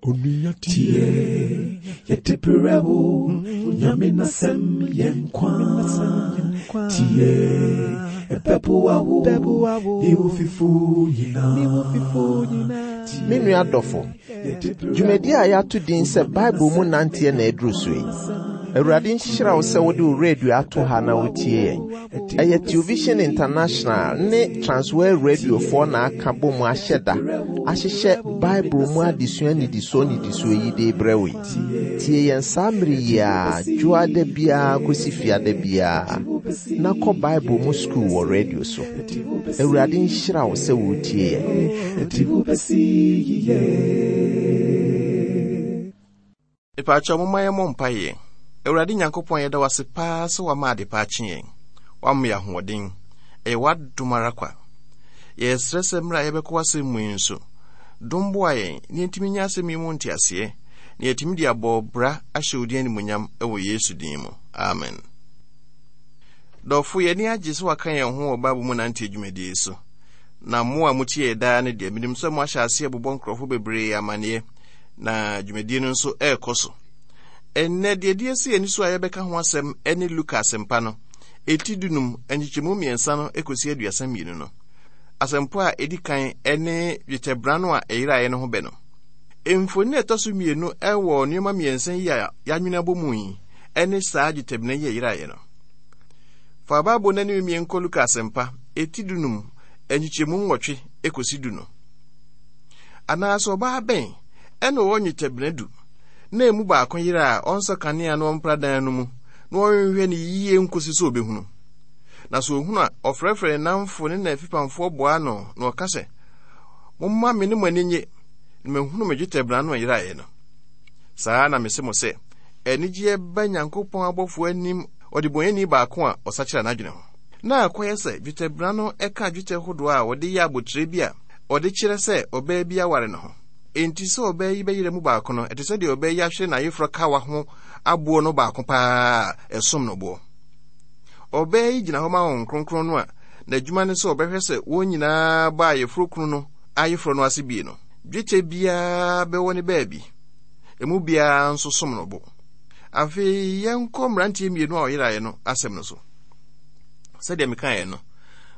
Tie, yɛde brɛ wo, Nyame n'asɛm yɛ nkwa. Tie, ɛbɛboa wo, ne wo fifo nyinaa. Me nua dɔfo, dwumadi a yɛato din sɛ Bible mu nanteɛ na aduru so yi. Awurade nhyira wo sɛ wode wo radio ato ha na wotie yɛn. Ɛyɛ Television International ne Transworld Radiofoɔ na aka bɔ mu ahyɛ da ahyehyɛ Bible mu adesua nnidisoɔ nnidisoɔ yi de rebrɛ wo yi. Tie yɛn saa mmere yi ara, dwoada biara kɔsi fiada biara, na kɔ Bible mu sukuu wɔ radio so. Awurade nhyira wo sɛ woretie yɛn. Mepaakyɛw momma yɛmmɔ mpaeɛ. Awurade Nyankopɔn yɛda wo ase paa sɛ woama adepa akye yɛn. Woama yɛn ahoɔden. Ɛyɛ w'adom ara kwa. Yɛsrɛ sɛ mmerɛ a yɛbɛkɔ w'asɛm mu yi nso, dom boa yɛn na yɛntumi nya asɛm yi mu nteaseɛ na yɛatumi de abɔ bra ahyɛ wo din animuonyam wɔ Yesu din mu. Amen. Dɔfo, yɛn ani agye sɛ waka yɛn ho wɔ Bible mu nante dwumadie yi so. Na mo a motie yɛ daa no deɛ, menim sɛ moahyɛ aseɛ bobɔ nkurɔfo bebree amanneɛ na dwumadie no nso ɛrekɔ so. Ɛnnɛ, deɛ ɛdi asi ani so a yɛbɛka ho asɛm ne Luka asɛmpa no, ɛti dunum, nkyekyɛmu mmiɛnsa no kɔsi 32 no. Asɛmpa a ɛdi kan ne dwetɛbena no a ɛyeraeɛ no ho bɛ no. Mfoni a ɛtɔ so mmienu wɔ nneɛma mmiɛnsa yi a yɛanwene abɔ mu yi ne saa dwetɛbena yi a ɛyeraeɛ no. Fa Bible no anim mmiɛnkɔ kɔ Luka asɛmpa, ɛti dunum, nkyekyɛmu nwɔtwe kɔsi du no. Anaasɛ ɔbaa bɛn na ɔwɔ nnwetɛbena du, na emu baako yera a ɔnsɔ kanea na ɔmpra dan no mu na ɔnhwehwɛ no yiye nkosi sɛ obehunu? Na sɛ ohunu a, ɔfrɛfrɛ ne nnamfo ne n'afipamfoɔ boa ano na ɔka sɛ, Momma me ne mo ani nnye, na mahunu me dwetɛbena no a ɛyeraeɛ no. Saa ara na mese mo sɛ, anigyeɛ ba Nyankopɔn abɔfoɔ anim ɔdebɔneyɛni baako a ɔsakyera n'adwene ho. Na akɔyɛ sɛ dwetɛbena no ka dwetɛ hodoɔ a wɔde yɛ abotire bi a wɔde kyerɛ sɛ ɔbaa bi aware ne ho. Enti sɛ ɔbaa yi bɛyera mu baako no, ɛte sɛ deɛ ɔbaa yi ahwere n'ayeforɔ kawa ho aboɔ no baako paa a ɛsom no boɔ. Ɔbaa yi gyina hɔ ma Honhom Kronkron no a n'adwuma ne sɛ ɔbɛhwɛ sɛ wɔn nyinaa bɔ ayeforɔ kunu no ayeforɔ no ase bie no. Dwetɛ biara bɛwɔ ne baabi, emu biara nso som no bo. Afei yɛnkɔ mmeranteɛ mmienu a ɔyeraeɛ no asɛm no so. Sɛdeɛ mekaeɛ no,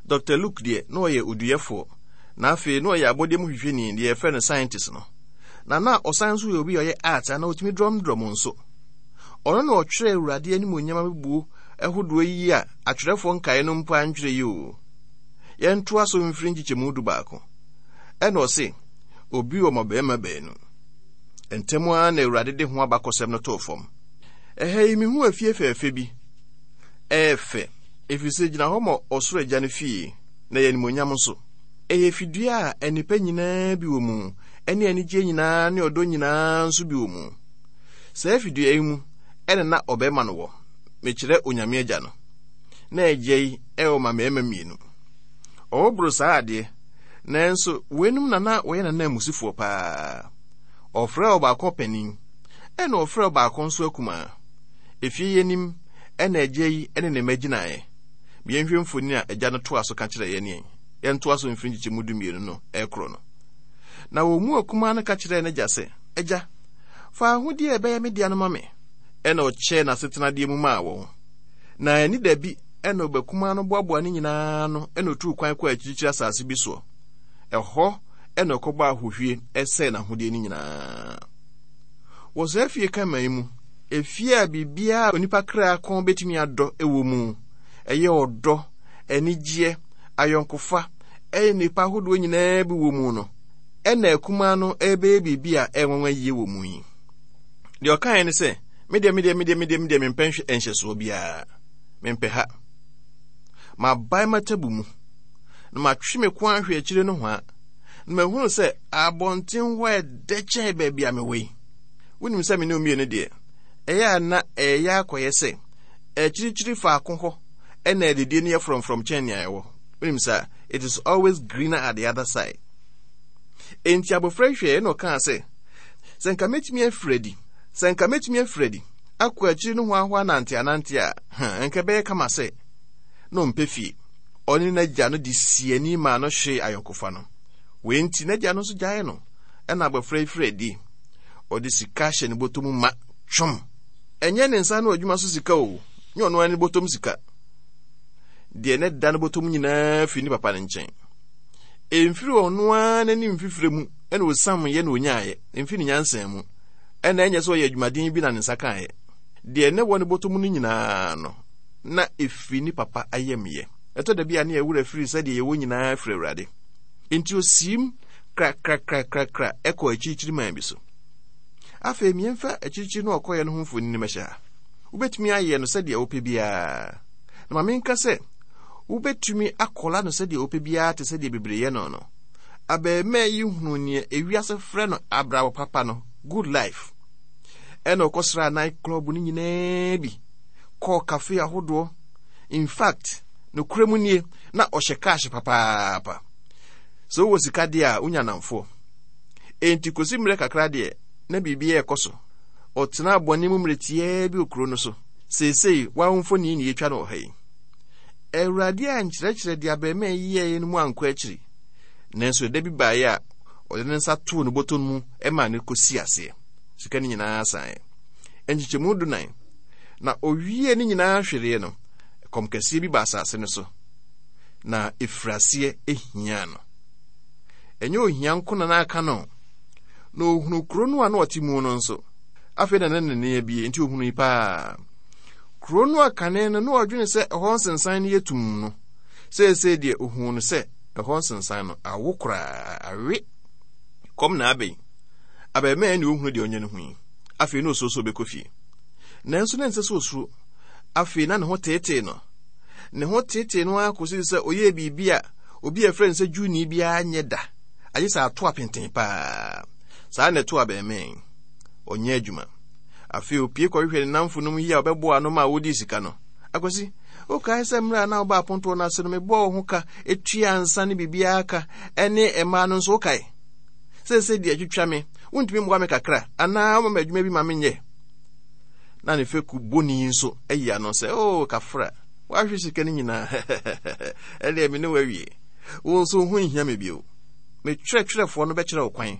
Dr. Luke deɛ na ɔyɛ oduyɛfoɔ, na afei na ɔyɛ abɔdeɛ mu hwehwɛni, deɛ yɛfrɛ no scientist no. Na na ɔsan nso yɛ obi a ɔyɛ art anaa ɔtumi drɔmdrɔm nso. Ɔno na ɔtwerɛ Awurade animuonyam abebuo ahodoɔ yi a atwerɛfoɔ nkaeɛ no mpo antwerɛ yi o. Yɛntoa so mfiri nkyekyɛmu 11. Ɛna ɔse, obi wɔ mmabarima baanu. Ntɛm ara na Awurade de ho abakɔsɛm no too fam. Ɛha yi mehu afie fɛɛfɛ bi. Ɛyɛ fɛ, efisɛ egyina hɔ ma ɔsoro Agya no fie, na ɛyɛ animuonyam nso. Ɛyɛ fidua a nnepa nyinaa bi wɔ mu, ɛne anigyeɛ nyinaa ne ɔdɔ nyinaa nso bi wɔ mu. Saa fidua yi mu ɛna na ɔbarima no wɔ, mekyerɛ Onyame Agya no. Na Agya yi ɛwɔ ma mmarima mmienu. Ɔwɔ boro saa adeɛ, nanso weinom na na wɔyɛ n'ananmusifoɔ paa. Ɔfrɛɛ ɔbaako ɔpanin, ɛna ɔfrɛɛ ɔbaako nso akumaa. Efie yi anim na agya yi ne ne mma gyinaeɛ. Ma yɛnhwɛ mfoni a agya no toa so ka kyerɛɛ yɛn yɛn. Yɛntoa so mfiri nkyekyɛmu 12 no rekorɔ no. Na wɔn mu akumaa no ka kyerɛɛ n'agya sɛ, Agya, fa ahodeɛ a ɛbɛyɛ me dea no ma me. Ɛnna ɔkyɛɛ n'asetenadeɛ mu maa wɔn. Na anni da bi na ɔba kumaa no boaboaa ne nyinaa ano na ɔtuu kwan kɔɔ akyirikyiri asase bi soɔ. Ɛhɔ na ɔkɔbɔɔ ahohwie sɛee n'ahodeɛ no nyinaa. Wɔ saa fie kama yi mu, efie a biribiara a onipa kra kɔn betumi adɔ wɔ mu, ɛyɛ ɔdɔ, anigyeɛ, ayɔnkofa, ɛne nnepa ahodoɔ nyinaa bi wɔ mu no, ɛna akumaa no ɛrebɛyɛ biribi a ɛnwanwa yie wɔ mu yi. Deɛ ɔkaeɛ ne sɛ, medeɛ medeɛ medeɛ medeɛ medeɛ mempɛ nhyɛsoɔ biara, mempɛ ha. Mabae m'atabu mu, na matwe me ko ahwɛ akyire nohoa, na mahunu sɛ abɔnten hɔ ɛdɛ kyɛn baabi a mewɔ yi. Wonim sɛ me ne wo mmienu deɛ, ɛyɛ a na ɛyɛ akɔyɛ sɛ akyirikyiri faako hɔ ɛna adidie no yɛ frɔmfrɔm kyɛn nea ɛwɔ. Wonim saa, it is always greener at the other side. Enti abɔfra yi hwɛɛ na ɔkaa sɛ, sɛ nka mɛtumi afiri adi, sɛ nka mɛtumi afiri adi akɔ akyiri no hoahoa nante anante a, ha, nka ɛbɛyɛ kama sɛ na ɔmpɛ fie. Ɔne n'agya no de sii ani maa no hwee ayɔnkofa no. Wei nti, n'agya no nso gyaee no, ɛna abɔfra yi firi adi. Ɔde sika hyɛ ne bɔtɔ mu ma twom. Ɛnyɛ ne nsa ano adwuma so sika o, nyɛ ɔno ara ne bɔtɔm sika. Deɛ ne da ne bɔtɔm nyinaa firi ne papa no nkyɛn. Ɛmfiri ɔno ara n'anim mfifire mu ɛna ɔsiam yɛ na ɔnyaeɛ, ɛmfiri ne nyansa mu. Ɛna ɛnyɛ sɛ ɔyɛ adwumaden bi na ne nsa kaeɛ. Deɛ ne wɔ ne bɔtɔ mu no nyinaa no, na ɛfiri ne papa ayamyɛ. Ɛtɔ da bi a ne yɛn werɛ firi sɛ deɛ yɛwɔ nyinaa firi Awurade. Enti ɔsiim krakrakrakrakra kɔɔ akyirikyiri man bi so. Afei miɛmfa akyirikyiri no ɔkɔeɛ no ho mfonini mɛhyɛ ha. Wobɛtumi ayɛ no sɛdeɛ wopɛ biara. Na ma menka sɛ, wobɛtumi akɔla no sɛdeɛ wopɛ biara te sɛdeɛ bebree yɛ no no. Abarimaa yi hunuu nea ewiase frɛ no abrabɔ papa no, good life. Ɛna ɔkɔsraa night club no nyinaa bi, kɔɔ cafe ahodoɔ. In fact, nokorɛ mu nie, na ɔhyɛ cash papaapa. Sɛ wowɔ sika deɛ a, wonya nnamfoɔ. Enti kɔsi mmerɛ kakra deɛ, na biribiara ɛkɔ so. Ɔtenaa bɔne mu mmerɛ tiaa bi wɔ kuro no so. Seesei, wo ara wo mfoni na yɛtwa no wɔ ha yi. Awurade ankyerɛkyerɛ deɛ abarimaa yi yɛeɛ no mu ankɔ akyiri. Nanso ɛda bi baeɛ a ɔde ne nsa too ne bɔtɔ no mu maa no kɔsii aseɛ. Sika no nyinaa saeɛ. Nkyekyɛmu dunan. Na ɔwiee ne nyinaa hwereɛ no, ɛkɔm kɛseɛ bi baa asase no so, na ɛfiri aseɛ hiaa no. Ɛnyɛ ohia nko na na aka no, na ɔhunu kuro no a na ɔte mu no nso. Afei na na n'ani abie, nti ɔhunui paa. Kuro no a kane no na ɔdwene sɛ ɛhɔ nsensan no yɛ tumm no, seesei deɛ ɔhuu no sɛ ɛhɔ nsensan no awo koraa, awe. Kɔm na abɛn. Abarimaa ne ɔhunu deɛ ɔnyɛ no ho yi. Afei na ɔsuro sɛ ɔbɛkɔ fie. Nanso na ɛnsɛ sɛ ɔsuro. Afei na ne ho teetee no. Ne ho teetee no ara kɔsii sɛ ɔyɛɛ biribi a obi a ɛfrɛ no sɛ Jewni biara nyɛ da, agye sɛ ato apenten paa. Saa na ɛtoo abarimaa yi. Ɔnyɛ adwuma. Afei opue kɔhwehwɛ ne nnamfonom yi a ɔbɛboa ano ma wodii sika no. Akwasi, wokae sɛ mmerɛ a na woba apontoɔ no ase no mebɔɔ wo ho ka tuaa nsa ne biribiara ka ne mmaa no nso wokae? Seesei deɛ twitwa me, wontumi mmoa me kakra anaa woma me adwuma bi ma menyɛ? Na ne fɛku bɔni yi nso ayi ano sɛ, Oo, oh, kafra, woahwe sika no nyinaa. Ɛdeɛ me ne wo awie. Wo nso wo ho nhia me bio. Me twerɛtwerɛfoɔ no bɛkyerɛ wo kwan.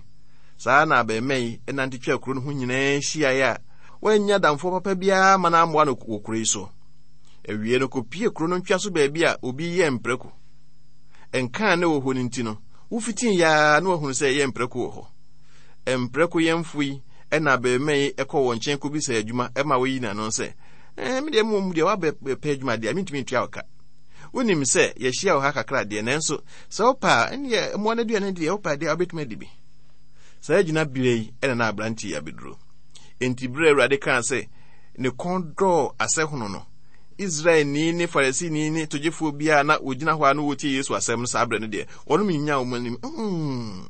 Saa na abarimaa yi nante twaa kuro no ho nyinaa hyiaeɛ a wannya adamfoɔ papa biara ma no ammoa no wɔ kuro yi so. Awie no kɔpie kuro no ntweaso baabi a obi yɛ mprako. Nka a na ɛwɔ hɔ no nti no, wofitii yɛ ara na wahunu sɛ ɛyɛ mprako wɔ hɔ. Mprako yɛmfo yi na abarimaa yi kɔ wɔn nkyɛn kɔbisa adwuma ma wɔyi n'ano sɛ, eh, me deɛ mmom deɛ woabɛpɛ adwuma deɛ mentumi ntua wo ka. Wonim sɛ yɛahyia wɔ ha kakra deɛ nanso Sɛ wopɛ a, ɛnneɛ mmoa no aduane deɛ wopɛ deɛ wobɛtumi adi bi. Saa gyina berɛ yi ɛna na aberante yi abɛduro. Enti berɛ Awurade kaa sɛ ne kɔn dɔɔ asɛhono no, Israelni ne Farisini ne togyefoɔ biara na wɔgyina hɔ a na wɔtie Yesu asɛm no saa berɛ no deɛ, wɔnom nyinyaa wɔn anim. Mm.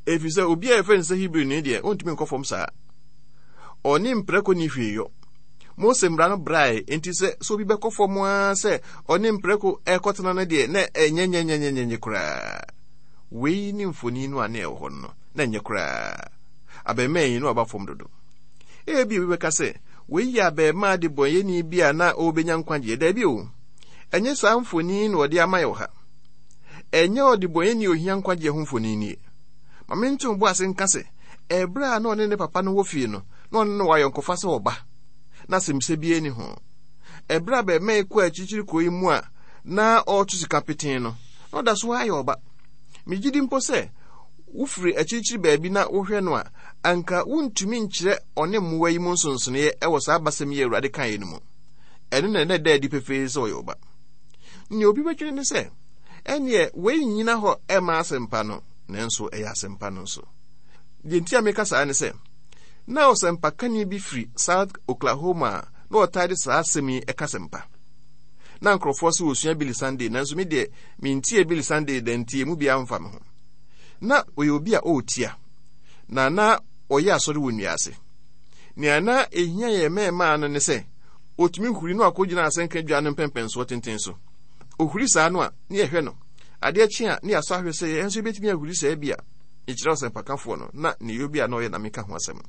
Ɛfiri sɛ obi a yɛfrɛ no sɛ Hebrini deɛ, ɔntumi nkɔ fam saa. Ɔne mprako ni hwee yɔ. Mose mmara no brae, enti sɛ sɛ obi bɛkɔ fam ara sɛ ɔne mprako rekɔtena no deɛ, na ɛnyɛ nyɛnyɛnyɛnyɛnyɛ koraa. Wei ne mfoni no a na ɛwɔ hɔ no, na ɛnyɛ koraa. Abarimaa yi na waba fam dodo. Ebia obi bɛka sɛ, wei yɛ abarimaa debɔneyɛni bi a na ɔrebɛnya nkwagyeɛ. Daabi o, ɛnyɛ saa mfoni na ɔde ama yɛ wɔ ha. Ɛnyɛ ɔdebɔneyɛni a ohia nkwagyeɛ ho mfoni nie. Ma mento bo ase nka sɛ, ɛberɛ a na ɔne ne papa no wɔ fie no, na ɔne no wɔ ayɔnkofa sɛ ɔba, na asɛmmisa biara nni ho. Ɛberɛ a abarimaa yi kɔɔ akyirikyiri kuro yi mu a na ɔreto sika petee no, na ɔda so ara yɛ ɔba. Megye di mpo sɛ wofiri akyirikyiri baabi na wohwɛ no a, anka wontumi nkyerɛ ɔne mmoa yi mu nsonsonoeɛ wɔ saa abasɛm yi a Awurade kaeɛ no mu. Ɛno na na ɛda adi pefee sɛ ɔyɛ ɔba. Nea obi bɛdwene ne sɛ, ɛnneɛ wei nnyina hɔ mma asɛmpa no, nanso ɛyɛ asɛmpa no nso. Deɛ nti a meka saa ne sɛ, Na ɔsɛmpakani bi firi South Oklahoma a na ɔtaa de saa asɛm yi ka asɛmpa. Na nkurɔfoɔ sɛ wɔsua Billy Sunday, nanso me deɛ mentie Billy Sunday da nti emu biara mfa me ho. Na ɔyɛ obi a ɔretia, na na ɔyɛ asɔre wɔ nnua ase. Nea na ehia yɛn mmarimaa no ne sɛ ɔtumi huri na wakɔgyina asɛnka dwa no mpɛmpɛnsoɔ tenten so. Ɔhuri saa no a, ne yɛhwɛ no. Adeɛ kye a, ne yɛasɔ ahwɛ sɛ yɛn nso yɛbɛtumi ahuri saa bi a. Mekyerɛ ɔsɛmpakafoɔ no, na ne yɔ bi a na ɔyɛ na meka ho asɛm.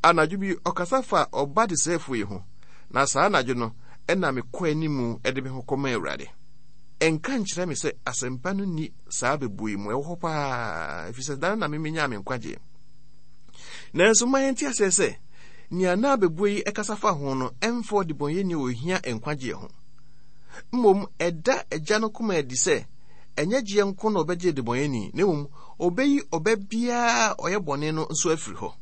Anadwo bi, ɔkasa faa ɔba desɛefoɔ yi ho, na saa anadwo no na mekɔ anim de me ho kɔmaa Awurade. Ɛnka nkyerɛ me sɛ asɛmpa no nni saa bɛbuo yi mu, ɛwɔ hɔ paa, ɛfiri sɛ da no na me menyaa me nkwagyeɛ. Nanso ma yɛnte aseɛ sɛ, nea na abɛbuo yi kasa fa ho no ɛmfa ɔdebɔneyɛni a ohia nkwagyeɛ ho. Mmom, ɛda agya no koma adi sɛ ɛnyɛ gyeɛ nko na ɔbɛgye ɔdebɔneyɛni, na mmom ɔbɛyi ɔba biara a ɔyɛ bɔne no nso afiri hɔ.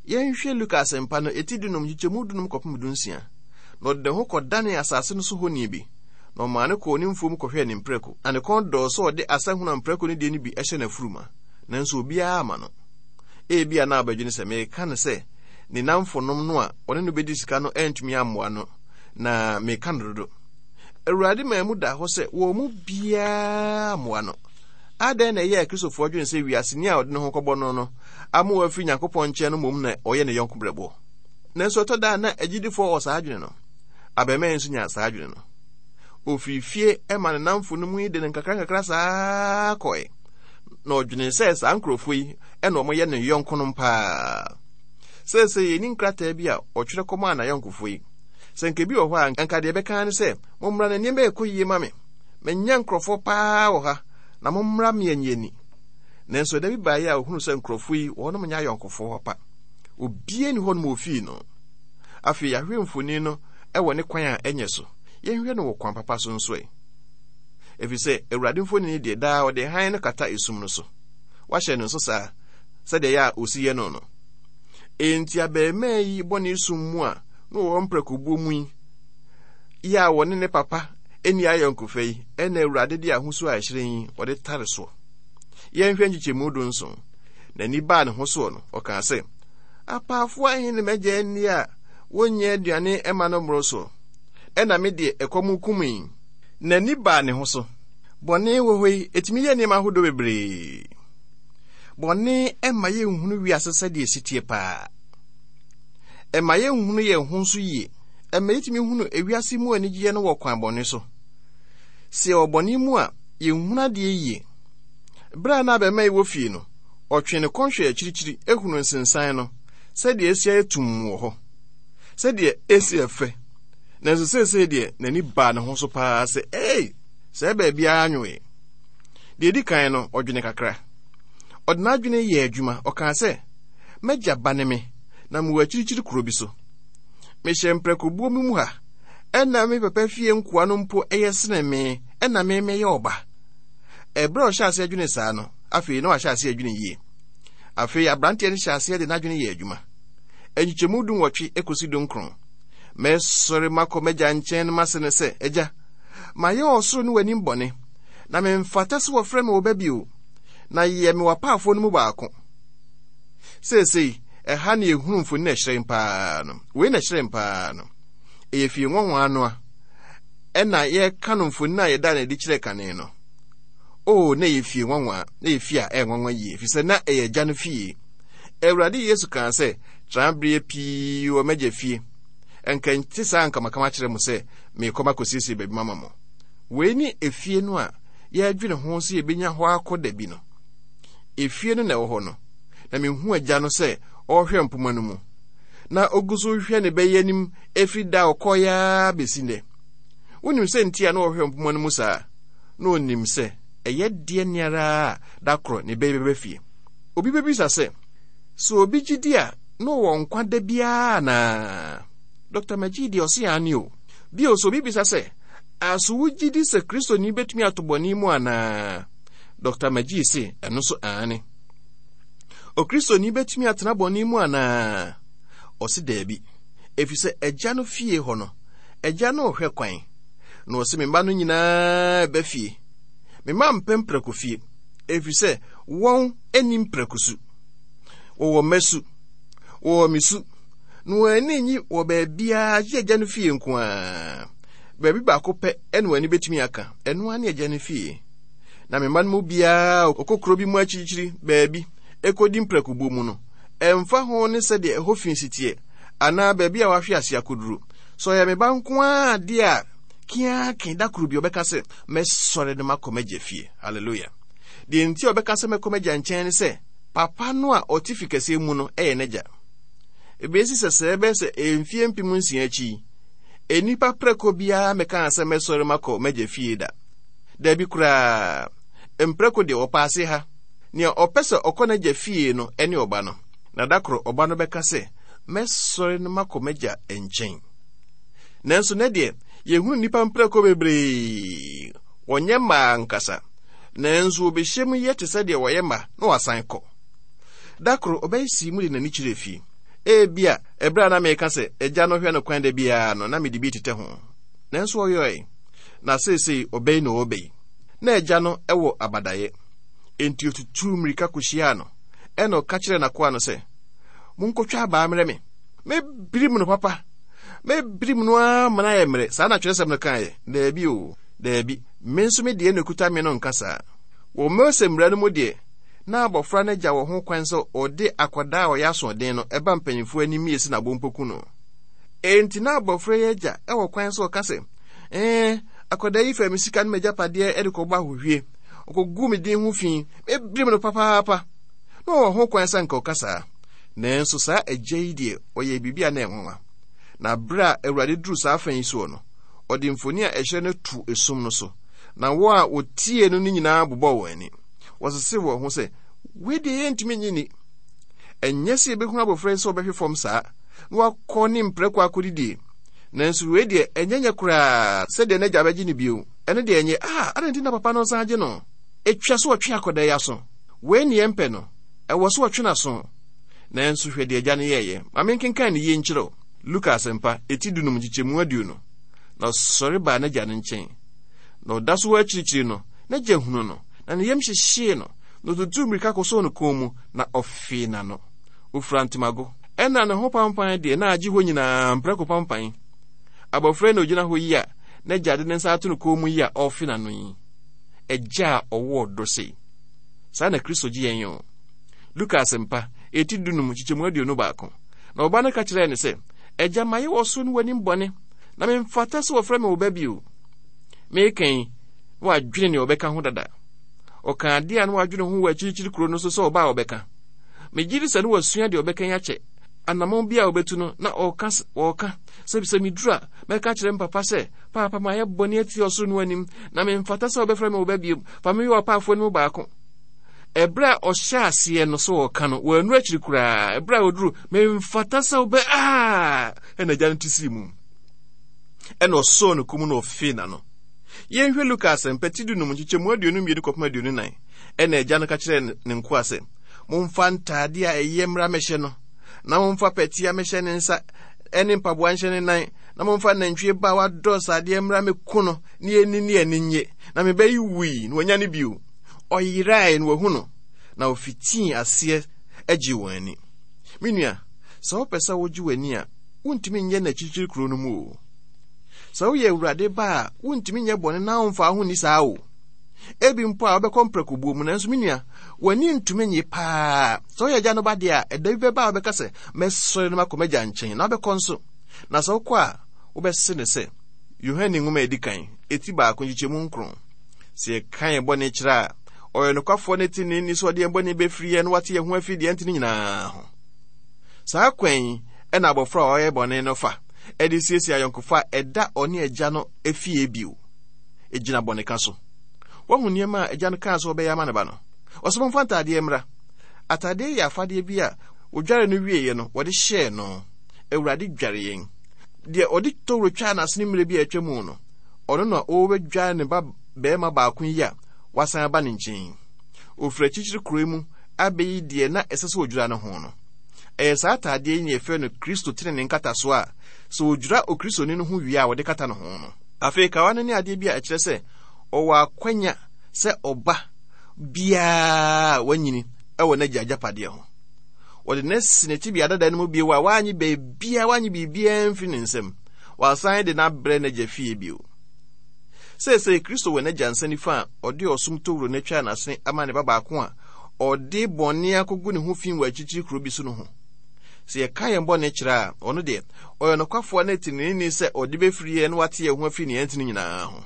Yɛnhwɛ Luka Asɛmpa no, eti dunum, nkyekyɛmu dunum kɔpem dunsia. Na ɔde ne ho kɔdanee asase no so honi bi, na ɔmaa no kɔɔ ne mfuom kɔhwɛɛ ne mprako. Na ne kɔn dɔɔ sɛ ɔde asahunu a mprako no deɛ no bi hyɛ n'afuruma, nanso obiara amma no. Ebia na abɛdwene sɛ meka no sɛ ne nnamfonom no a ɔne no bedi sika no antumi ammoa no, na meka no dodo. Awurade maa mu daa hɔ sɛ wɔn mu biara mmoa no. Adɛn na ɛyɛ a Kristofoɔ dwene sɛ wiaseni a ɔde ne ho kɔbɔ no no ama wafiri Nyankopɔn nkyɛn no mmom na ɔyɛ ne yɔnko brɛboɔ? Nanso ɛtɔ da a na agyidifoɔ wɔ saa adwene no. Abarimaa yi nso nyaa saa adwene no. Ofiri fie ma ne nnamfo no mu yi de no nkakrankakra saa kɔe. Na ɔdwenee sɛ saa nkurɔfoɔ yi na wɔyɛ ne yɔnkonom paa. Seesei yɛnni nkrataa bi a ɔtwerɛ kɔmaa n'ayɔnkofoɔ yi. Sɛ nka bi wɔ hɔ a, anka deɛ ɛbɛka ne sɛ, mommra na nneɛma ɛkɔ yie ma me. Manya nkurɔfoɔ paa wɔ ha, na mommra me ani ani. Nanso ɛda bi baeɛ a ɔhunuu sɛ nkurɔfoɔ yi, wɔnom nyɛ ayɔnkofoɔ papa. Obiara nni hɔnom a ofii no. Afei yɛahwɛ mfoni no wɔ ne kwan a ɛnyɛ so. Yɛnhwɛ no wɔ kwan papa so nso ɛ. Efisɛ Awurade mfonini deɛ daa ɔde hann no kata esum no so. Wahyɛ no nso saa sɛdeɛ ɛyɛ a osi yɛ no no. Enti abarimaa yi bɔne sum mu a na wɔwɔ mprɛkobuo mu yi, yɛ a wɔne ne papa nni ayɔnkofa yi, ɛna Awurade de ahosuo a ɛhyerɛn yi ɔde tare soɔ. Yɛnhwɛ nkyekyɛmu dunson. N'ani baa ne ho soɔ no, ɔkaa sɛ, Apaafoɔ ahe ne m'agya nni a wɔnnya aduane mma no mmoro soɔ? Ɛna me deɛ ɛkɔm rekum yi. N'ani baa ne ho so. Bɔne wɔ hɔ yi, ɛtumi yɛ nneɛma ahodoɔ bebree. Bɔne mma yɛnhunu wiase sɛdeɛ ɛsi teɛ paa. Ɛma yɛnhunu yɛn ho nso yie. Ɛma yɛtumi hunu ewiase mu anigyeɛ no wɔ kwan bɔne so. Sɛ yɛwɔ bɔne mu a, yɛnhunu adeɛ yie. Berɛ a na abɛmma yi wɔ fie no, ɔtwee ne kɔn hwɛɛ akyirikyiri hunuu nsensan no, sɛdeɛ asi ayɛ tumm wɔ hɔ, sɛdeɛ asi yɛ fɛ. Nanso seesei deɛ n'ani baa ne ho so paa sɛ, Ei, sɛɛ baabiara nwoe. Deɛ ɛdi kan no, ɔdwene kakra. Ɔde n'adwene yɛɛ adwuma. Ɔkaa sɛ, M'agya ba ne me, na mewɔ akyirikyiri kuro bi so. Mehyɛ mprakobuo bi mu ha, ɛnna me papa fie nkoa no mpo yɛ sene me, ɛnna me meyɛ ɔba. Ɛberɛ a ɔhyɛ aseɛ dwene saa no, afei na wahyɛ aseɛ adwene yie. Afei aberanteɛ no hyɛ aseɛ de n'adwene yɛ adwuma. Nkyekyɛmu dunwɔtwe kɔsi dunkron. Mɛsɔre makɔ m'agya nkyɛn no mase no sɛ, Agya, mayɛ ɔsoro ne w'anim bɔne, na memfata sɛ wɔfrɛ me wo ba bio, na yɛ me w'apaafoɔ no mu baako. Seesei, ɛha ne yɛhunu mfoni na ɛhyerɛn paa no. Wei na ɛhyerɛn paa no. Ɛyɛ fie nwanwa ano a ɛna yɛka no mfoni a yɛda no adi kyerɛ kane no. O, na ɛyɛ fie nwanwa, na ɛyɛ fie a ɛyɛ nwanwa yie, ɛfiri sɛ na ɛyɛ agya no fie. Awurade Yesu kaa sɛ, Tra berɛ pii wɔ m'agya fie. Ɛnka nte saa anka maka makyerɛ mo sɛ merekɔ makɔsiesie baabi mama mo. Wei ne efie no a yɛredwene ho sɛ yɛbɛnya hɔ akɔ da bi no. Efie no na ɛwɔ hɔ no, na mehu agya no sɛ ɔrehwɛ mpoma no mu. Na ogu so rehwɛ ne bɛyɛ anim ɛfiri da a ɔkɔeɛ ara bɛsi nnɛ. Wonim sɛ nti a na ɔhwɛ mpoma no mu saa? Na ɔnim sɛ ɛyɛ deɛ ne ara a da korɔ ne bɛyɛ bɛba fie. Obi bɛbisa sɛ, sɛ obi gye di a na ɔwɔ nkwa da biara anaa? Dr. McGee deɛ ɔse aane o. Bio, sɛ obi bisa sɛ, aso wogye di sɛ Kristoni bɛtumi ato bɔne mu anaa? Dr. McGee se ɛno nso aane. Okristoni bɛtumi atena bɔne mu anaa? Ɔse daabi, ɛfiri sɛ agya no fie hɔ no, agya no rehwɛ kwan. Na ɔse me mma no nyinaa ba fie. Me mma mpɛ mprako fie, ɛfiri sɛ wɔn ani mprako su. Wɔwɔ mma su, wɔwɔ me su, na wɔn ani nyi wɔ baabiara gye agya no fie nko ara. Baabi baako pɛ ɛna wɔn ani bɛtumi aka, ɛno ara ne agya no fie. Na me mma no mu biara ɔkɔ kuro bi mu akyirikyiri baabi ɛkɔdi mprakobuo mu no, ɛmfa ho ne sɛdeɛ ɛhɔ fi si teɛ anaa baabi a wahwe ase akɔduru. Sɛ ɔyɛ me ba nko ara adeɛ a, kiake da koro bi ɔbɛka sɛ, mɛsɔre no makɔ m'agya fie. Hallelujah. Deɛ nti a ɔbɛka sɛ mɛkɔ m'agya nkyɛn ne sɛ, papa no a ɔte fi kɛseɛ mu no yɛ n'agya. Ebesi sɛ sɛ ɛbɛyɛ sɛ mfie 6000 akyi yi, nnipa prɛko biara mmɛkaa sɛ mɛsɔre makɔ m'agya fie da. Dabi koraa. Mprɛko deɛ wɔpa ase ha. Nea ɔpɛ sɛ ɔkɔ n'agya fie no ne ɔba no. Na da koro ɔba no bɛka sɛ, Mɛsɔre na makɔ m'agya nkyɛn. Nanso nɛ deɛ, yɛhunu nnipa mprako bebree. Wɔnyɛ mmaa ankasa, nanso wɔbɛhyia mu yɛ te sɛ deɛ wɔyɛ mma na wɔasan kɔ. Da koro ɔbaa yi sii mu de n'ani kyerɛɛ fie. Ebia ɛberɛ a na meka sɛ agya no hwɛ no kwan da biara no, na mede bi tetɛ ho. Nanso ɔyɔe. Na seesei ɔbaa yi na ɔreba yi. Na agya no wɔ abadaeɛ. Enti ɔtutuu mmirika kɔhyiaa no, ɛnna ɔka kyerɛɛ n'akoa no sɛ, Monkɔtwa abaa mmrɛ me. Mɛbirim no papa. Mɛbirim no ara ma no ayɛ mmerɛ. Saa na twerɛsɛm no kaeɛ? Daabi o, daabi. Me nso me deɛ na ɛkuta me no nka saa. Wɔ Mose mmara no mu deɛ, na abɔfra no agya wɔ ho kwan sɛ ɔde akwadaa a ɔyɛ asoɔden no ba mpanyimfoɔ anim yɛsi no abompoku no. Enti na abɔfra yi agya wɔ kwan sɛ ɔka sɛ, Ɛɛ, akwadaa yi faa me sika ne m'agyapadeɛ de kɔbɔ ahohwie. Ɔkɔguu me din ho fi. Mɛbirim no papaapa. Na ɔwɔ ho kwan sɛ anka ɔka saa. Nanso saa agya yi deɛ, ɔyɛɛ biribi a na ɛyɛ nwanwa. Na bere a Awurade duruu saa afã yi soɔ no, ɔde mfoni a ɛhyerɛn no too esum no so, na wɔn a wɔtiee no no nyinaa bobɔɔ wɔn ani. Wɔsesee wɔn ho sɛ, Wei deɛ yɛntumi nnye nni. Ɛnyɛ sɛ yɛbɛhunu abɔfra yi sɛ ɔbɛhwe fam saa, na wakɔ ne mprako akɔdidie. Nanso wei deɛ ɛnyɛ nyɛ koraa sɛ deɛ n'agya bɛgye no bio. Ɛno deɛ ɛnyɛ. Ah, adɛn nti na papa no nsan agye no? Ɛtwa sɛ ɔtwe akwadaa yi aso. Wei ne yɛmpɛ no. Ɛwɔ sɛ ɔtwe n'aso. Nanso hwɛ deɛ agya no yɛeɛ. Ma menkenkan no yie nkyerɛ wo. Luka Asɛmpa, eti dunum nkyekyɛmu 20. Na ɔsɔre baa n'agya no nkyɛn. Na ɔda so wɔ akyirikyiri no, n'agya hunuu no, na ne yam hyehyee no, na ɔtutuu mmirika kɔsɔɔ no kɔn mu, na ɔfee n'ano. Ɔfura ntomago. Ɛnna ne ho pampan deɛ na agye hɔ nyinaa mprako pampan. Abɔfra yi na ɔgyina hɔ yi a n'agya de ne nsa ato no kɔn mu yi a ɔrefe n'ano yi. Agya a ɔwɔ ɔdɔ sei. Saa na Kristo gye yɛn o. Luka Asɛmpa, eti dunum, nkyekyɛmu 21. Na ɔba no ka kyerɛɛ no sɛ, Agya, mayɛ wɔ soro ne w'anim bɔne, na memfata sɛ wɔfrɛ me wo ba bio. Meka yi, na wadwene nea ɔbɛka ho dada. Ɔkaa adeɛ a na wadwene ho wɔ akyirikyiri kuro no so sɛ ɔba a ɔbɛka. Megye di sɛ na wasua deɛ ɔbɛka yi akyɛ. Anammɔn bi a ɔbɛtu no, na ɔreka ɔreka sɛ sɛ meduru a, mɛka akyerɛ me papa sɛ, Paapa, mayɛ bɔne atia ɔsoro ne w'anim, na memfata sɛ wobɛfrɛ me wo ba bio. Fa me yɛ w'apaafoɔ no mu baako. Ɛberɛ a ɔhyɛ aseɛ no sɛ ɔreka no, wannu akyiri koraa. Ɛberɛ a ɔduru, memfata sɛ wobɛ aa, ɛna agya no te sii mu. Ɛna ɔsɔɔ ne kɔn mu na ɔfee n'ano. Yɛnhwɛ Luka asɛmpa ti dunum nkyekyɛmu 22 kɔpem 24. Ɛna agya no ka kyerɛɛ ne nkoa sɛ, Momfa ntaade a ɛyɛ mmra mmɛhyɛ no, na momfa pɛtea mmɛhyɛ ne nsa ne mpaboa nhyɛ ne nan, na momfa nantwie ba a wadɔ sradeɛ mmra mmɛku no, na yɛnni ne ani nnye. Na me ba yi wui, na wanya no bio. Ɔyerae, na wahu no. Na ofitii aseɛ gyee wɔn ani. Me nua, sɛ wopɛ sɛ wogye w'ani a, wontumi nyɛ no akyirikyiri kuro no mu o. Sɛ woyɛ Awurade ba a, wontumi nyɛ bɔne na womfa wo ho nni saa o. Ebi mpo a wobɛkɔ mprakobuo mu, nanso me nua, w'ani ntumi nye paa. Sɛ woyɛ agya no ba deɛ a, ɛda bi bɛba a wobɛka sɛ, mɛsɔre na makɔ m'agya nkyɛn, na wobɛkɔ nso. Na sɛ wokɔ a, wobɛse no sɛ, Yohane nwoma a edi kan, eti baako, nkyekyɛmu nkron. Sɛ yɛka yɛn bɔne kyerɛ a, ɔyɛ nokwafoɔ ne teneeni sɛ ɔde yɛn bɔne bɛfiri yɛn na wate yɛn ho afiri deɛ ɛntene nyinaa ho. Saa kwan yi na abɔfra a ɔyɛ bɔne no fa de siesie ayɔnkofa a ɛda ɔne agya no fie bio. Egyina bɔneka so. Wahu nneɛma a agya no kaa sɛ ɔbɛyɛ ama ne ba no. Ɔsɛ momfa ntaadeɛ mmra. Ataadeɛ yɛ afadeɛ bi a wɔdware no wieeɛ no wɔde hyɛɛ no. Awurade dware yɛn. Deɛ ɔde towuro twaa n'asene mmerɛ bi a atwa mu no, ɔno na ɔrebɛdware ne ba barima baako yi a wasan aba ne nkyɛn yi. Ɔfiri akyirikyiri kuro yi mu abɛyi deɛ na ɛsɛ sɛ ɔdwira no ho no. Ɛyɛ saa ataadeɛ yi na yɛfrɛ no Kristo tenenee nkatasoɔ a sɛ wɔdwira Okristoni no ho wie a wɔde kata ne ho no. Afei kawa no ne adeɛ bi a ɛkyerɛ sɛ ɔwɔ akwanya sɛ ɔba biara a wanyini wɔ n'agya agyapadeɛ ho. Wɔde no asi ne tebea dada no mu bio a wannye baabiara, wannye biribiara mfiri ne nsam. Wɔasan de no abrɛ n'agya fie bio. Seesei Kristo wɔ n'agya nsa nifa a ɔde ɔsom towuro no atwa n'asene ama ne ba baako a ɔde bɔne akogu ne ho fi wɔ akyirikyiri kuro bi so no ho. Sɛ yɛka yɛn bɔne kyerɛ a, ɔno deɛ, ɔyɛ nokwafoɔ ne teneneeni sɛ ɔde bɛfiri yɛn na wate yɛn ho afiri nea ɛntene nyinaa ho.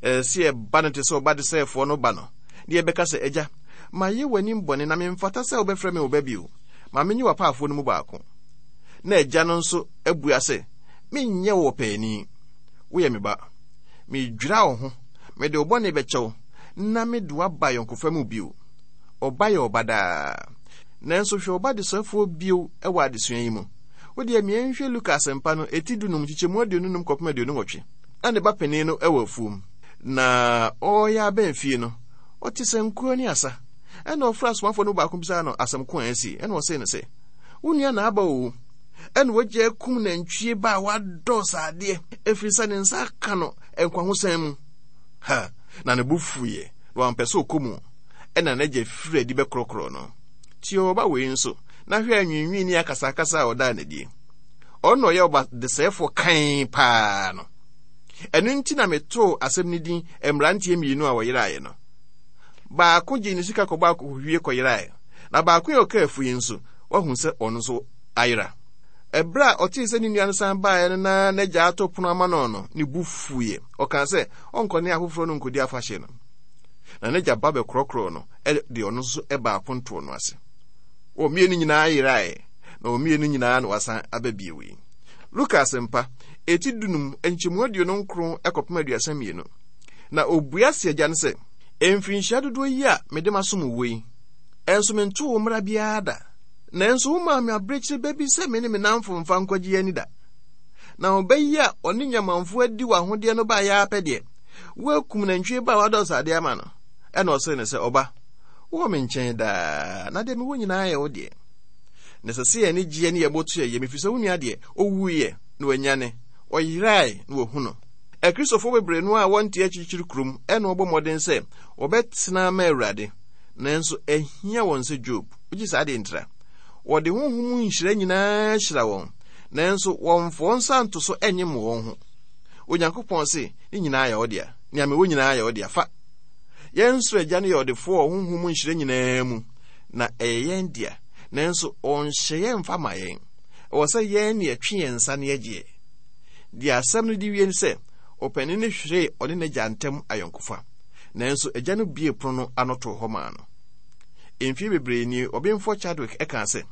Ɛsɛ sɛ yɛba no te sɛ ɔba desɛefoɔ no ba no, na yɛbɛka sɛ, Agya, mayɛ w'anim bɔne na memfata sɛ wobɛfrɛ me wo ba bio. Ma menye w'apaafoɔ no mu baako. Na agya no nso abua sɛ, Menyɛ wo ɔpaani. Woyɛ me ba. Meredwira wo ho, mede wo bɔne bɛkyɛ wo, na mede wo aba ayɔnkofa mu bio. Ɔba yɛ ɔba daa. Nanso hwɛ ɔba desɛefoɔ bio wɔ adesua yi mu. Wo deɛ ma yɛnhwɛ Luka Asɛmpa no, eti dunum, nkyekyɛmu aduonunum kɔpem aduonunwɔtwe. Na ne ba panin no wɔ afuom, na ɔreyɛ abɛn fie no, ɔte sankuo ne asa. Ɛnna ɔfrɛɛ asomafoɔ no mu baako bisaa no asɛm ko a asi. Ɛnna ɔsee no sɛ, Wo nua na aba oo, ɛnna wagya akum nantwie ba a wadɔ sradeɛ, ɛfiri sɛ ne nsa aka no nkwahosan mu. Ha! Na ne bo fuiɛ, na wampɛ sɛ ɔkɔ mu. Ɛnna n'agya firii adi bɛkorɔkorɔɔ no. Tie ɔba wei nso, na hwɛ anwiinwii ne akasakasa a ɔdaa no adie. Ɔno na ɔyɛ ɔba desɛefoɔ kann paa no. Ɛno nti na metoo asɛm no din mmeranteɛ mmienu a wɔyeraeɛ no. Baako gyee ne sika kɔbɔ akɔhwie kɔyeraeɛ, na baako a ɔkaa afu yi nso, wahu sɛ ɔno nso ayera. Ɛberɛ a ɔtee sɛ ne nua no san baeɛ no na n'agya ato pono ama no no, ne bo fuiɛ. Ɔkaa sɛ ɔnkɔ ne afoforɔ no nkɔdi afahyɛ no. Na n'agya ba bɛkorɔkorɔɔ no de ɔno nso baa apontoɔ no ase. Wɔn mmienu nyinaa yeraeɛ, na wɔn mmienu nyinaa na wɔasan aba bio yi. Luka Asɛmpa, eti dunum, nkyɛmu 29 kɔpem 32. Na obua se agya no sɛ, Mfirinhyia dodoɔ yi a mede masom wo yi, ɛnso mentoo wo mmara biara da. Nanso womaa me abirekyiri ba bi sɛ me ne me nnamfo mfa nkɔgye yɛn ani da. Na ɔba yi a ɔne nyamanfoɔ adi w'ahodeɛ no baeɛ ara pɛ deɛ, woakum nantwie ba a wadɔ sradeɛ ama no. Ɛnna ɔsee no sɛ, Ɔba, wowɔ me nkyɛn daa, na deɛ mewɔ nyinaa yɛ wo deɛ. Na ɛsɛ sɛ yɛn ani gyeɛ ne yɛn bo to yɛn yam, ɛfiri sɛ wo nua deɛ, ɔwuiɛ, na wanyane, ɔyerae, na wɔahu no. Akristofo bebree no a wɔnte akyirikyiri kurom na wɔbɔ mmɔden sɛ wɔbɛtena ama Awurade, nanso ahia wɔn sɛ Job. Wogye saa deɛ ntira. Wɔde honhom mu nhyira nyinaa hyira wɔn, nanso wɔmfa wɔn nsa nto so nyem wɔn ho. Onyankopɔn se, ne nyinaa yɛ wo dea. Nea mewɔ nyinaa yɛ wo dea. Fa. Yɛn soro Agya no yɛ ɔdefoɔ wɔ honhom mu nhyira nyinaa mu, na ɛyɛ yɛn dea, nanso ɔnhyɛ yɛn mfa ma yɛn. Ɛwɔ sɛ yɛn na yɛtwe yɛn nsa na yɛgyeɛ. Deɛ asɛm no de wie ne sɛ, ɔpanin no hweree ɔne n'agya ntam ayɔnkofa, nanso agya no buee pono no ano too hɔ maa no. Mfeɛ bebree nie, Ɔbenfoɔ Chadwick kaa sɛ,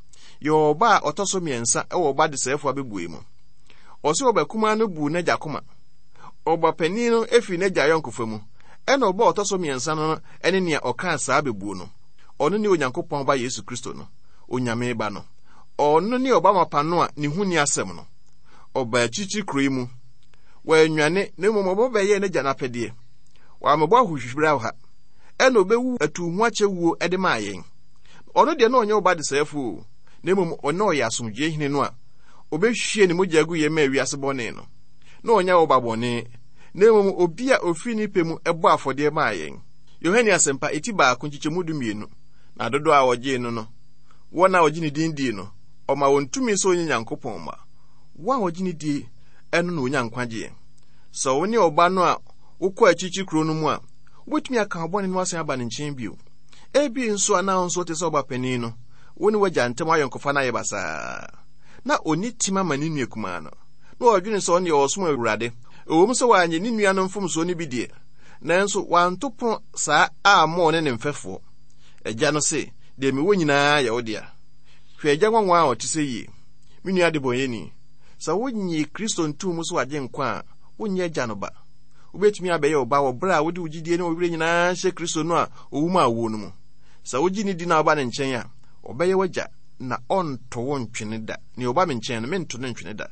Yɛwɔ ɔba a ɔtɔ so mmiɛnsa wɔ ɔba desɛefoɔ abɛbuei mu. Ɔse ɔba kumaa no buu n'agya koma. Ɔba panin no firii n'agya ayɔnkofa mu, ɛna ɔba a ɔtɔ so mmiɛnsa no ne nea ɔkaa saa bɛbuo no. Ɔno ne Onyankopɔn Ba Yesu Kristo no, Onyame Ba no. Ɔno ne ɔba mapa no a ne ho nni asɛm no. Ɔbaa akyirikyiri kuro yi mu. Wannwane, na mmom ɔba bɛyɛɛ n'agya n'apɛdeɛ. Wammɛbɔ ahohwibra wɔ ha. Ɛna ɔbɛwu atuhoakyɛ wuo de maa yɛn. Ɔno deɛ na ɔnyɛ ɔba desɛefoɔ o, na mmom ɔna ɔyɛ asomdwoeɛ hene no a ɔbɛhwie ne mogya agu yɛn maa wiase bɔne no. Na ɔnyɛ ɔba bɔne, na mmom obi a ɔfiri ne pɛ mu bɔ afɔdeɛ maa yɛn. Yohane Asɛmpa, eti baako, nkyekyɛmu dumienu, Na dodoɔ a wɔgyee no no, wɔn a wɔgye ne din dii no, ɔma wɔn tumi sɛ wɔnyɛ Nyankopɔn mma. Wɔn a wɔgye no die no na wɔnya nkwagyeɛ. Sɛ wo ne ɔba no a wokɔ akyirikyiri kuro no mu a, wobɛtumi aka wo bɔne no asan aba ne nkyɛn bio. Ebi nso a na wo nso wote sɛ ɔba panin no, wo ne w'agya ntam ayɔnkofa no ayɛ basaa. Na ɔnni tema ma ne nua kumaa no. Na ɔdwene sɛ ɔno deɛ ɔresom Awurade. Ɛwom sɛ wanyɛ ne nua no mfomsoɔ no bi deɛ, nanso wanto pono saa ammɔ ɔne ne mfɛfoɔ. Agya no se, Deɛ mewɔ nyinaa yɛ wo dea. Hwɛ agya nwanwa a ɔte sɛ yie! Me nua adebɔnyɛni, sɛ wonnye Kristo ntoo mu sɛ w'Agyenkwa a, wonyɛ Agya no ba. Wobɛtumi abɛyɛ ɔba wɔ berɛ a wode wo gyidie ne wo werɛ nyinaa hyɛ Kristo no a ɔwu maa wuo no mu. Sɛ wogye no di na woba ne nkyɛn a, ɔbɛyɛ w'agya na ɔnto wo ntwene da. Nea ɔba me nkyɛn no, mento no ntwene da.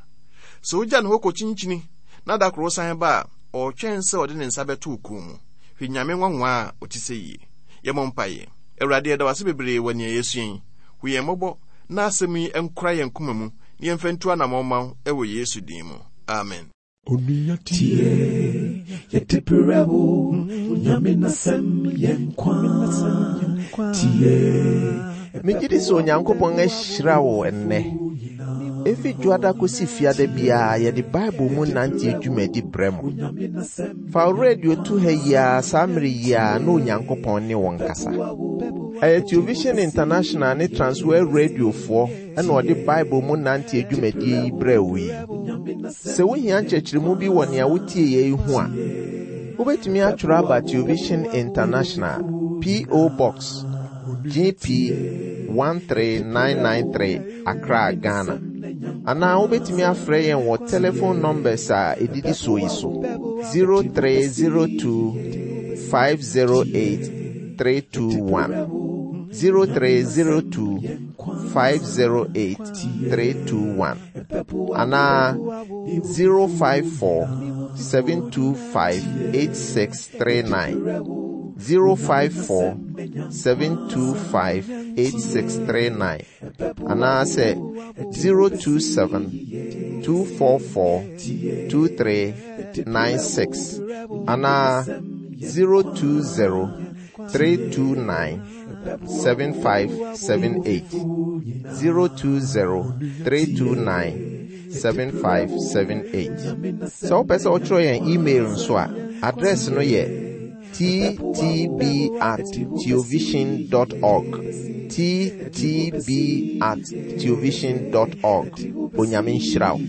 Sɛ wogya ne hɔ kɔkyinkyini na da koro wosan ba a, ɔretwɛn sɛ ɔde ne nsa bɛto wo kɔn mu. Hwɛ Nyame nwanwa a ɔte sɛ yie! Yɛmmɔ mpaeɛ. Awurade, yɛda wo ase bebree wɔ nea yɛasua yi. Hu yɛn mmɔbɔ na asɛm yi nkora yɛn koma mu na yɛmfa ntu anammɔn mma wo wɔ Yesu din mu. Amen. Onua tie, yɛde brɛ wo, Onyame n'asɛm yɛ nkwa. Tie. Megye di sɛ Onyankopɔn ahyira wo ɛnnɛ. Efi Dwoada kosi Fiada biara yɛde Bible mu nante dwumadi brɛ mo. Fa wo radio to ha yi ara saa mmere yi ara na Onyankopɔn ne wo nkasa. Ɛyɛ Television International ne Transworld Radiofoɔ na ɔde Bible mu nante dwumadie yi brɛɛ wo yi. Sɛ wohia nkyerɛkyerɛmu bi wɔ nea wotieeɛ yi ho a, wobɛtumi atwerɛ aba Television International, P.O. Box, GP 13993, Accra, Ghana. Anaa wobɛtumi afrɛ yɛn wɔ telephone numbers a ɛdidi soɔ yi so 0302 508 321. 0302 508 321 anaa 054 725 8639 054 725 8639 anaasɛ 027 244 2396 anaa 020 329 7578 020 329 7578. Sɛ wopɛ sɛ wotwerɛ yɛn email nso a, address no yɛ ttb at theovision dot org. ttb at theovision dot org. Onyame nhyira wo.